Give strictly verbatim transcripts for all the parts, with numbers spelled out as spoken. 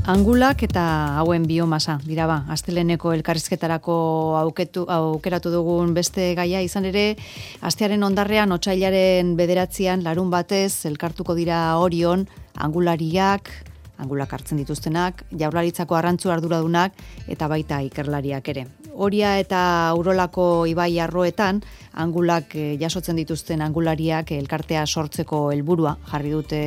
Angulak eta hauen biomasa dira ba, asteleneko elkarrizketarako auketu, aukeratu dugun beste gaia izan ere, astearen ondarrean otsailaren bederatzian larun batez elkartuko dira Orion, angulariak, angulak hartzen dituztenak, Jaurlaritzako arrantzu arduradunak eta baita ikerlariak ere. Oria eta Urolako ibai arroetan, angulak jasotzen dituzten angulariak elkartea sortzeko helburua jarri dute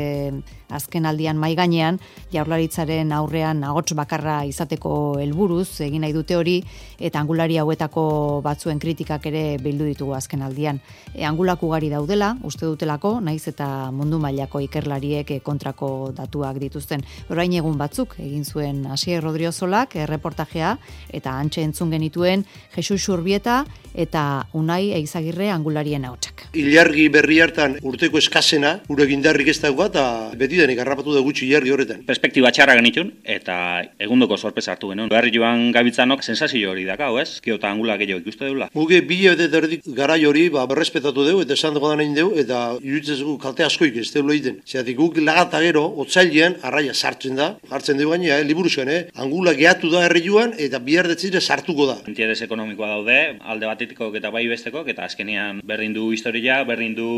azken aldian mai gainean, Jaurlaritzaren aurrean ahots bakarra izateko helburuz egin nahi dute hori, eta angulari hauetako batzuen kritikak ere bildu ditugu azken aldian. E, angulak ugari daudela, uste dutelako, naiz eta mundu mailako ikerlariek kontrako datuak dituzten. Orain egun batzuk egin zuen Asier Rodriozolak erreportajea eta antxe entzun genituen Jesus Urbieta eta Unai Eizagirre angularien ahotsak. Ilargi berri hartan urteko eskasena, gure gindarrik ez dagoa eta beti denik harrapatu da gutxi ilargi horretan. Perspektiba txarra genitun eta egundoko sorpresa hartu genuen. Berri joan gabitzanok sensazio hori dakau, ez? Kio eta angula gehiago ikuste dula. Guge bile eta erdik garai hori ba, berrespetatu dugu eta esan dugu da nahi dugu eta iruditzezgu kalte askoik ez deula egiten. Zeratik guk lagata gero, otzailean arraia sartzen da, hartzen dugu gaina, eh, liburuzkan, eh? Angula gehatu da herri joan eta bihar detzire sartuko da. Interes ekonomikoa daude, alde batetikok eta bai bestekok, eta azkenean berdin du historia, berdin du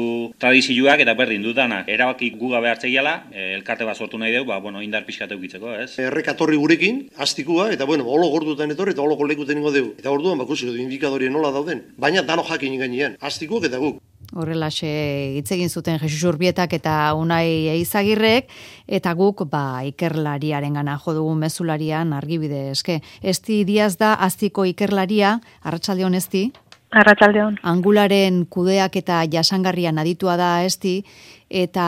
tradizioak eta berdin du danak. Erabaki gu gabe hartzeiala, elkarte bat sortu nahi dugu, ba, bueno, indar pixkat eukitzeko, ez? Errekatorri gurekin, astikua, eta bueno, holo gordutan etorri eta holo kolekuten ingo dugu. Eta orduan, bakusiko du indikadori nola dauden. Baina dano jakin gainean, astikuak eta guk. Horrelaxe hitz egin zuten Jesus Urbietak eta Unai Eizagirrek, eta guk ba, ikerlariarengana jo dugun mezularian argibide eske. Esti Diaz da aztiko ikerlaria, arratsaldeon Esti. Arratsaldeon. Angularen kudeak eta jasangarrian aditua da Esti, eta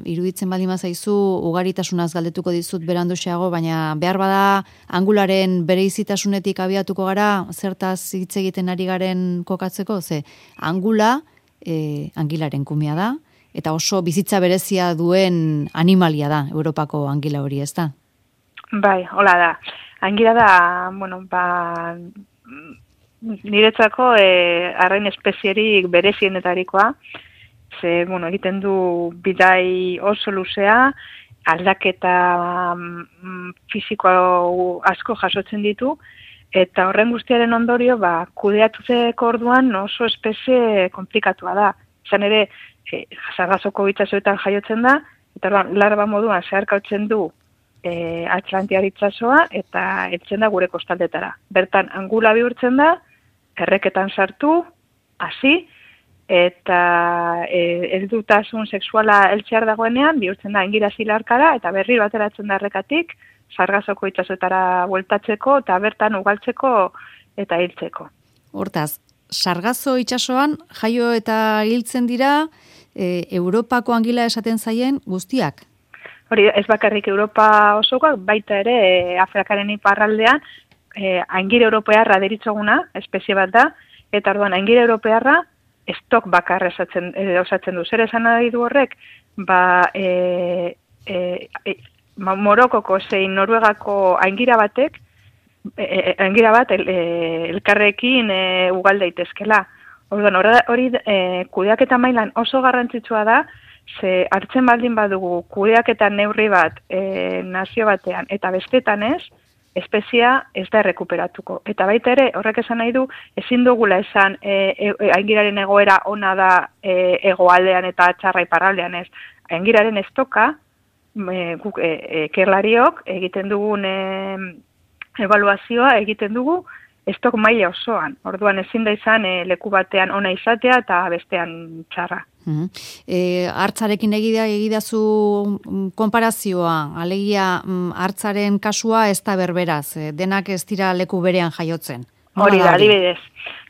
iruditzen baldin bazaizu ugaritasunaz galdetuko dizut beranduxeago, baina behar bada angularen bereizitasunetik abiatuko gara, zertaz hitz egiten ari garen kokatzeko, ze angula E, angilaren kumea da, eta oso bizitza berezia duen animalia da, Europako angila hori, ez da? Bai, hola da. Angila da, bueno, ba, niretzako e, arrain espezierik berezienetarikoa, ze, bueno, egiten du bidai oso luzea, aldaketa mm, fisiko asko jasotzen ditu, eta horren guztiaren ondorio, ba, kudeatutzeko orduan oso espezie komplikatua da. Izan ere, e, sargazoko itsasoetan jaiotzen da, eta orduan, larba moduan zeharkautzen du e, Atlantiar itsasoa eta heltzen da gure kostaldetara. Bertan, angula bihurtzen da, erreketan sartu, hasi, eta e, heldutasun sexuala heltzear dagoenean, bihurtzen da engira zilarkara, eta berri bateratzen da errekatik, sargazoko itsasoetara bueltatzeko eta bertan ugaltzeko eta hiltzeko. Hortaz, sargazo itsasoan jaio eta hiltzen dira e, Europako angila esaten zaien guztiak? Hori, ez bakarrik Europa osokoak, baita ere e, Afrikaren iparraldean e, angire europearra deritzoguna, espezie bat da, eta orduan angire europearra estok bakarra esatzen, e, osatzen du. Zer esan nahi du horrek? Ba, e, e, e, Morokoko zein Noruegako aingira batek, e, aingira bat el, e, elkarrekin e, ugal daitezkela. Orduan, hori e, kudeaketa mailan oso garrantzitsua da, ze hartzen baldin badugu kudeaketa neurri bat e, nazio batean eta bestetan ez, espezia ez da errekuperatuko. Eta baita ere, horrek esan nahi du, ezin dugula esan e, e, aingiraren egoera ona da e, egoaldean eta txarra iparraldean ez. Aingiraren estoka, E, guk e, ekerlariok egiten dugun e, evaluazioa egiten dugu estok maila osoan. Orduan ezin da izan e, leku batean ona izatea eta bestean txarra. Mm-hmm. E, hartzarekin egida egidazu konparazioa, alegia hartzaren kasua ez da berberaz, e, denak ez dira leku berean jaiotzen. Hori da, adibidez.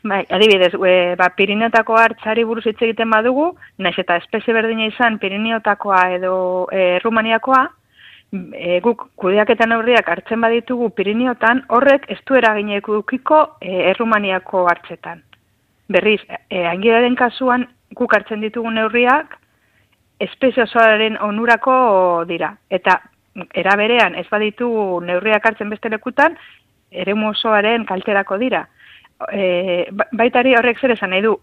Bai, adibidez, e, ba, Pirineotako hartzari buruz hitz egiten badugu, naiz eta espezie berdina izan Pirineotakoa edo e, Rumaniakoa, e, guk kudeaketa neurriak hartzen baditugu Pirineotan, horrek ez du eraginek edukiko e, Errumaniako hartzetan. Berriz, e, aingiraren kasuan guk hartzen ditugu neurriak espezie osoaren onurako dira. Eta era berean ez baditu neurriak hartzen beste lekutan, eremu osoaren kalterako dira. E, baitari horrek zer esan nahi du,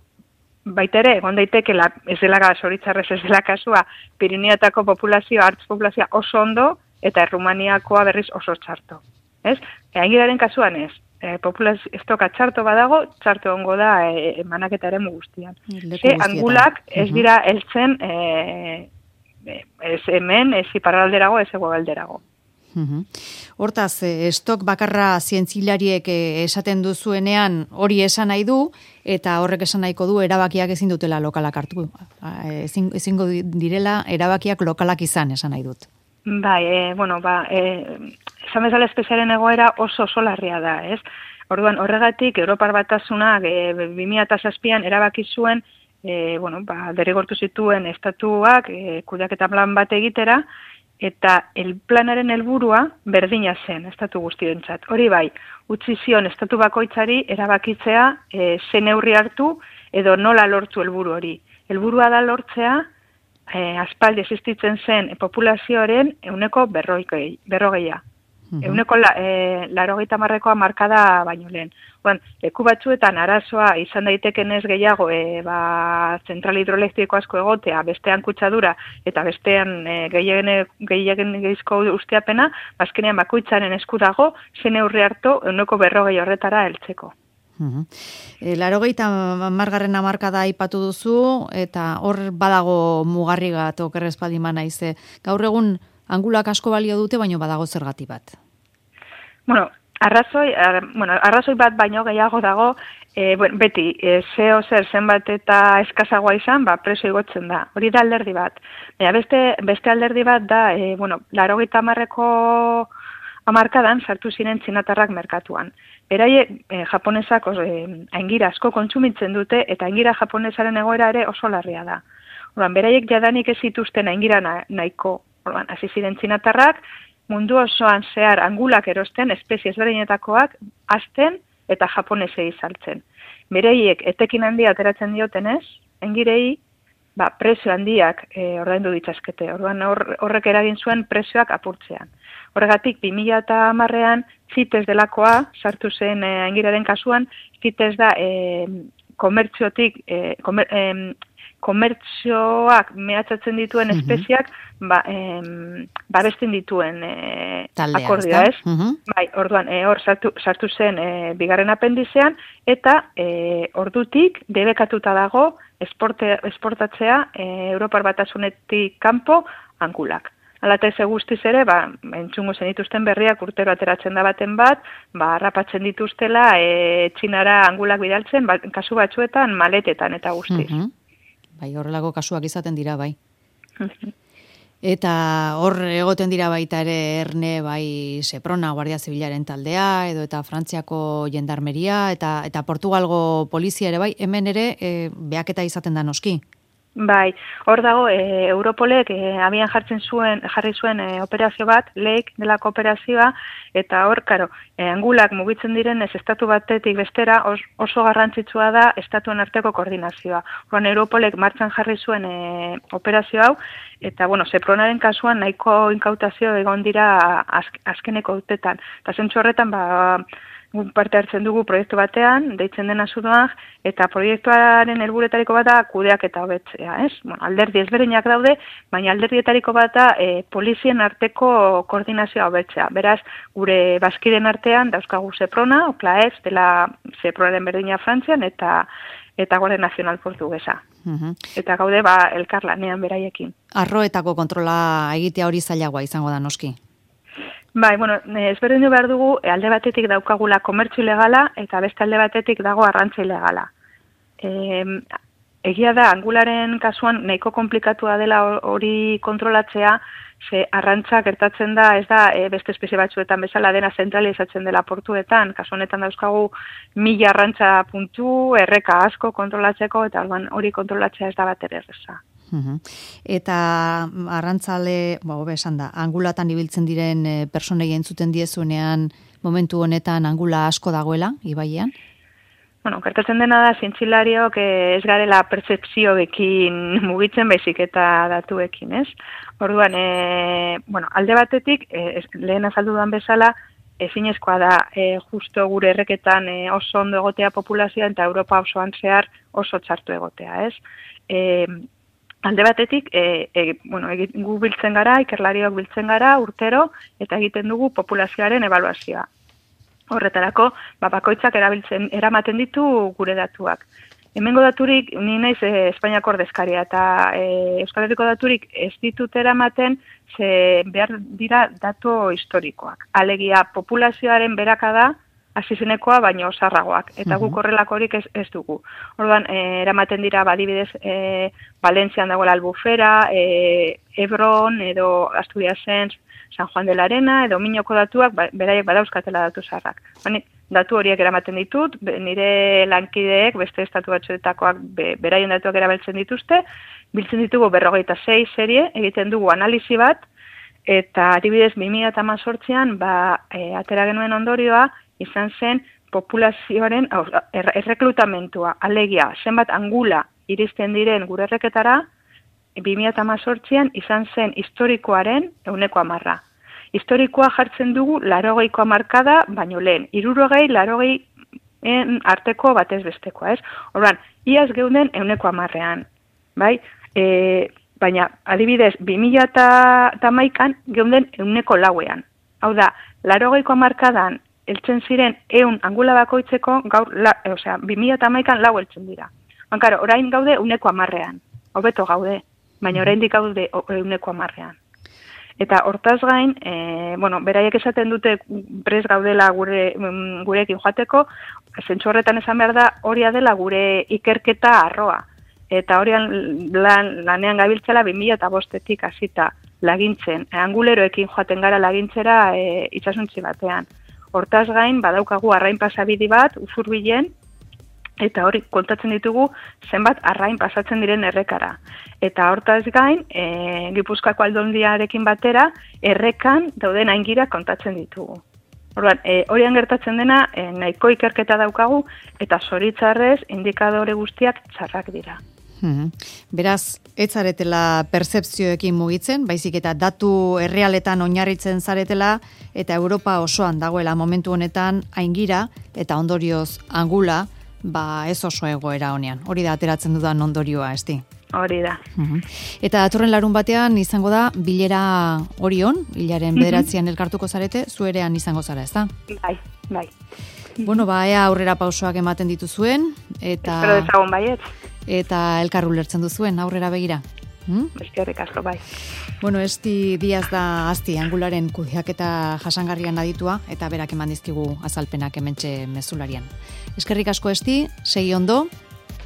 baita ere, egon daiteke, ez dela zoritzarrez ez dela kasua, Pirineotako populazioa, hartz populazioa oso ondo, eta Errumaniakoa berriz oso txarto. Ez? E, Aingiraren kasuan ez. E, populazio estoka txarto badago, txarto ongo da e, manaketaren guztian. Ze angulak ez dira heltzen e, ez hemen, ez iparralderago, ez hegoalderago. Uhum. Hortaz, estok bakarra zientzilariek esaten duzuenean hori esan nahi du, eta horrek esan nahiko du erabakiak ezin dutela lokalak hartu. Ezin, ezingo direla erabakiak lokalak izan esan nahi dut. Bai, e, bueno, ba, e, esan bezala espeziaren egoera oso oso larria da, ez? Orduan, horregatik, Europar Batasunak e, bi mila zazpian erabaki zuen, e, bueno, ba, derrigortu zituen estatuak e, kudeaketa plan bat egitera, eta el planaren helburua berdina zen estatu guztientzat. Hori bai, utzi zion estatu bakoitzari erabakitzea e, ze neurri hartu edo nola lortu helburu hori. Helburua da lortzea e, aspaldi existitzen zen populazioaren ehuneko berrogei, berrogeia. Ehuneko la, e, larogeita marrekoa markada baino lehen. Oan, leku batzuetan arazoa izan daiteken ez gehiago e, ba, zentral hidroelektriko asko egotea, bestean kutsadura eta bestean e, gehiagen geizko usteapena, bazkenean bakoitzaren esku dago, zen neurri hartu ehuneko berrogei horretara heltzeko. Uhum. E, larogeita margarren hamarkada aipatu duzu, eta hor badago mugarri bat okerrezpaldima naize. Gaur egun angulak asko balio dute, baino badago zergati bat. Bueno, arrazoi, ar, bueno, arrazoi bat baino gehiago dago, e, bueno, beti, e, zeo zer zenbat eta eskazagoa izan, ba, preso igotzen da. Hori da alderdi bat. Baina beste, beste alderdi bat da, e, bueno, larogeita hamarreko hamarkadan sartu ziren txinatarrak merkatuan. Beraie, e, japonesak e, aingira asko kontsumitzen dute, eta aingira japonesaren egoera ere oso larria da. Orduan, beraiek jadanik ez zituzten aingira na, nahiko. Orduan, hasi ziren txinatarrak, mundu osoan zehar angulak erosten, espezie ezberdinetakoak, azten eta japonesei saltzen. Bereiek etekin handia ateratzen diotenez, engirei, ba, prezio handiak e, ordaindu ditzazkete. Orduan hor, horrek eragin zuen prezioak apurtzean. Horregatik, bi mila hamarrean, CITES delakoa, sartu zen e, engiraren kasuan, CITES da e, komertziotik, e, komer, e, komertzioak mehatxatzen dituen uh-huh. espeziak ba, em, babesten dituen e, Taldea, akordioa, ez? Uh-huh. Bai, orduan, e, hor sartu, sartu zen e, bigarren apendizean, eta e, ordutik debekatuta dago esporte, esportatzea e, Europar Batasunetik kanpo angulak. Hala eta eze guztiz ere, ba, entzungo zen dituzten berriak urtero ateratzen da baten bat, ba, harrapatzen dituztela e, Txinara angulak bidaltzen, ba, kasu batzuetan maletetan eta guztiz. Uh-huh. Bai, horrelako kasuak izaten dira, bai. Eta hor egoten dira baita ere erne, bai, Seprona, Guardia Zibilaren taldea, edo eta Frantziako jendarmeria, eta eta Portugalgo polizia ere, bai, hemen ere e, behaketa izaten da noski. Bai, hor dago, e, Europolek e, abian jartzen zuen, jarri zuen e, operazio bat, Lake delako operazioa, eta hor, karo, e, angulak mugitzen diren ez estatu batetik bestera os, oso garrantzitsua da estatuen arteko koordinazioa. Horren Europolek martxan jarri zuen e, operazio hau, eta, bueno, Sepronaren kasuan nahiko inkautazio egon dira azk, azkeneko urtetan. Eta zentzu horretan, ba, parte hartzen dugu proiektu batean, deitzen dena zuduan, eta proiektuaren helburetariko bat da kudeak eta hobetzea, ez? Bueno, alderdi ezberdinak daude, baina alderdietariko bat da e, polizien arteko koordinazioa hobetzea. Beraz, gure bazkiden artean dauzkagu Seprona, Oklaez, dela Sepronaren berdina Frantzian, eta eta Guardia Nazional Portugesa. Uh-huh. Eta gaude, ba, elkarlanean beraiekin. Arroetako kontrola egitea hori zailagoa izango da noski. Bai, bueno, ezberdindu behar dugu, alde batetik daukagula komertzu ilegala, eta beste alde batetik dago arrantza ilegala. E, egia da, angularen kasuan nahiko komplikatua dela hori kontrolatzea, ze arrantza gertatzen da, ez da, e, beste espezie batzuetan bezala dena zentralizatzen dela portuetan, kasu honetan dauzkagu mila arrantza puntu, erreka asko kontrolatzeko, eta hori kontrolatzea ez da bat ere erreza. Uhum. Eta arrantzale, ba, hobe esan da, angulatan ibiltzen diren e, personei entzuten diezunean momentu honetan angula asko dagoela, ibaian? Bueno, gertatzen dena da, zientzilariok ez garela pertzepzioekin mugitzen baizik eta datuekin, ez? Orduan, e, bueno, alde batetik, e, lehen azaldu duan bezala, ezinezkoa da e, justo gure erreketan e, oso ondo egotea populazioa eta Europa osoan zehar oso txartu egotea, ez? E, alde batetik, e, e, bueno, gu biltzen gara, ikerlariok biltzen gara, urtero, eta egiten dugu populazioaren ebaluazioa. Horretarako, ba, bakoitzak erabiltzen, eramaten ditu gure datuak. Hemengo daturik, ni naiz e, Espainiako ordezkaria, eta e, Euskal Herriko daturik ez ditut eramaten, ze behar dira datu historikoak. Alegia, populazioaren berakada, hasizenekoa baino osarragoak, eta guk horrelakorik ez, ez dugu. Orduan, e, eramaten dira, badibidez, e, Valentzian dagoela Albufera, e, Ebron, edo Asturiasen, San Juan de la Arena, edo Minoko datuak, ba, beraiek badauzkatela datu zarrak. Bani, datu horiek eramaten ditut, be, nire lankideek, beste estatu batzuetakoak be, beraien datuak erabiltzen dituzte, biltzen ditugu berrogeita sei serie, egiten dugu analizi bat, eta adibidez bi mila hemezortzian ba, e, atera genuen ondorioa, izan zen populazioaren er, erreklutamentua, alegia, zenbat angula iristen diren gure erreketara, bi mila hemezortzian izan zen historikoaren ehuneko hamarra. Historikoa jartzen dugu larogeiko hamarkada, baino lehen, hirurogei, larogei arteko batez bestekoa, ez? Orduan, iaz geunden ehuneko hamarrean, bai? E, baina, adibidez, bi mila hamaikan geunden ehuneko lauean. Hau da, larogeiko hamarkadan eltzen ziren ehun angula bakoitzeko, gaur, la, e, osea, bi mila hamaikan lau eltzen dira. Bankaro, orain gaude ehuneko hamarrean, hobeto gaude, baina oraindik gaude ehuneko hamarrean. Eta hortaz gain, e, bueno, beraiek esaten dute prest gaudela gure gurekin joateko, zentzu horretan esan behar da, hori dela gure ikerketa arroa. Eta horian lan, lanean gabiltzela bi mila bostetik hasita lagintzen. Anguleroekin joaten gara lagintzera e, itsasontzi batean. Hortaz gain, badaukagu arrain pasabidi bat, usurbilen, eta hori kontatzen ditugu zenbat arrain pasatzen diren errekara. Eta hortaz gain, e, Gipuzkoako Aldundiarekin batera, errekan dauden aingirak kontatzen ditugu. Orduan, e, horian gertatzen dena, e, nahiko ikerketa daukagu, eta zoritzarrez indikadore guztiak txarrak dira. Hmm. Beraz, ez zaretela pertzepzioekin mugitzen, baizik eta datu errealetan oinarritzen zaretela, eta Europa osoan dagoela momentu honetan aingira, eta ondorioz angula, ba ez oso egoera honean. Hori da ateratzen dudan ondorioa, esti? Hori da. Uh-huh. Eta datorren larun batean izango da bilera Orion, hilaren bederatzian elkartuko zarete, zuerean izango zara, ez da? Bai, bai. Bueno, ba, ea aurrera pausoak ematen dituzuen, eta... Espero dezagun baiet. Eta elkar ulertzen duzuen, aurrera begira. Hmm? Eskerrik asko, bai. Bueno, Esti Diaz da azti, angularen kudeaketa jasangarrian aditua, eta berak eman dizkigu azalpenak hementxe mezularian. Eskerrik asko, Esti, segi ondo.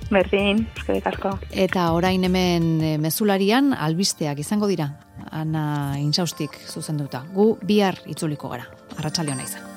Berdin, eskerrik asko. Eta orain hemen mezularian albisteak izango dira, Ana Intxaustik zuzenduta. Gu bihar itzuliko gara. Arratsalde ona izan.